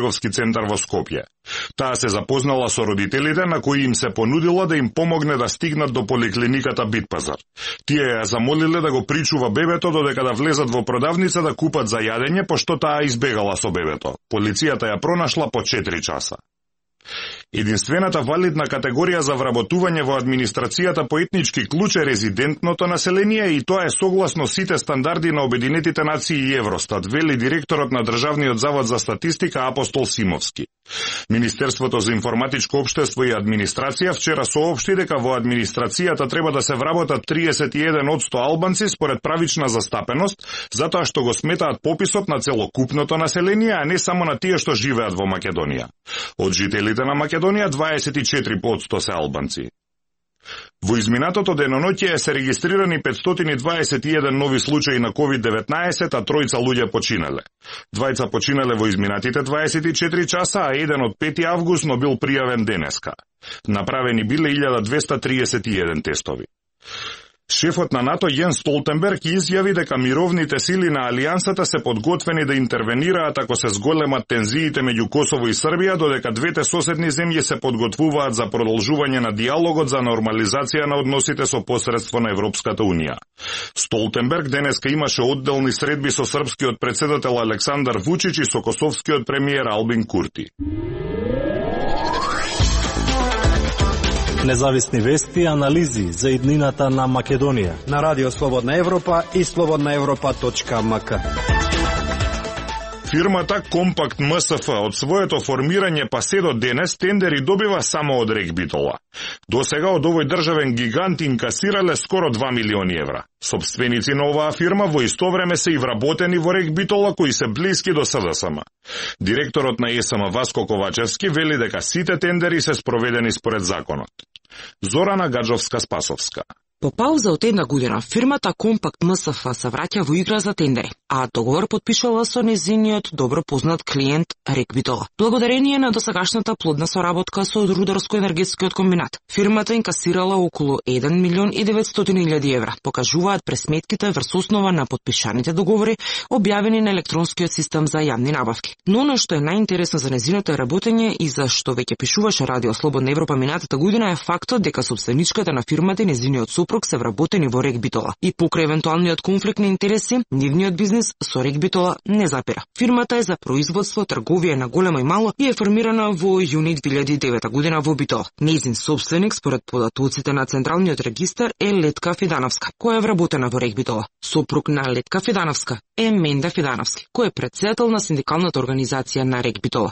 трговски центар во Скопје. Таа се запознала со родителите на кои им се понудила да им помогне да стигнат до поликлиниката Битпазар. Тие ја замолиле да го причува бебето додека да влезат во продавница да купат за јадење, пошто таа избегала со бебето. Полицијата ја пронашла по 4 часа. Единствената валидна категорија за вработување во администрацијата по етнички клуч е резидентното население и тоа е согласно сите стандарди на Обединетите нации и Евростат, вели директорот на Државниот завод за статистика Апостол Симовски. Министерството за информатичко општество и администрација вчера соопшти дека во администрацијата треба да се вработат 31% албанци според правична застапеност, затоа што го сметаат пописот на целокупното население, а не само на тие што живеат во Македонија. Од жителите на Македонија 24% се албанци. Во изминатото деноноќе се регистрирани 521 нови случаи на COVID-19, а 3 луѓе починале. 2 починале во изминатите 24 часа, а еден од 5 август, но бил пријавен денеска. Направени биле 1231 тестови. Шефот на НАТО Јенс Столтенберг изјави дека мировните сили на Алијансата се подготвени да интервенираат ако се зголемат тензиите меѓу Косово и Србија, додека двете соседни земји се подготвуваат за продолжување на диалогот за нормализација на односите со посредство на Европската Унија. Столтенберг денеска имаше одделни средби со српскиот претседател Александар Вучич и со косовскиот премиер Албин Курти. Независни вести и анализи за иднината на Македонија на Радио Слободна Европа и slobodnaevropa.mk. Фирмата Компакт МСФ од своето формирање па се до денес тендери добива само од Рекбитола. До сега од овој државен гигант инкасирале скоро 2 милиони евра. Собственици на оваа фирма во исто време се и вработени во Рекбитола кои се блиски до СДСМ. Директорот на ЕСМ Васко Ковачевски вели дека сите тендери се спроведени според законот. Зорана Гаджовска-Спасовска. По пауза од една година, фирмата Компакт МСФ се враќа во игра за тендери, а договор подпишала со незиниот добро познат клиент Рекбитола. Благодарение на досегашната плодна соработка со Рударско-енергетскиот комбинат, фирмата инкасирала околу 1.900.000 евра, покажуваат пресметките врз основа на подпишаните договори, објавени на електронскиот систем за јавни набавки. Но оно што е најинтересно за незиното работење и за што веќе пишуваше Радио Слободна Европа минатата година е фактот дека собственичката на фирмата и незиниот супруг се вработени во Рекбитола и покрај евентуалниот конфликт на интереси, нивниот бизнис со Рекбитола не запира. Фирмата е за производство, трговија на големо и мало и е формирана во јуни 2009 година во Битола. Нејзин собственик, според податоците на Централниот регистар, е Летка Фидановска, која е вработена во Рекбитола. Сопруг на Летка Фидановска е Менда Фидановски, кој е претседател на синдикалната организација на Рекбитола.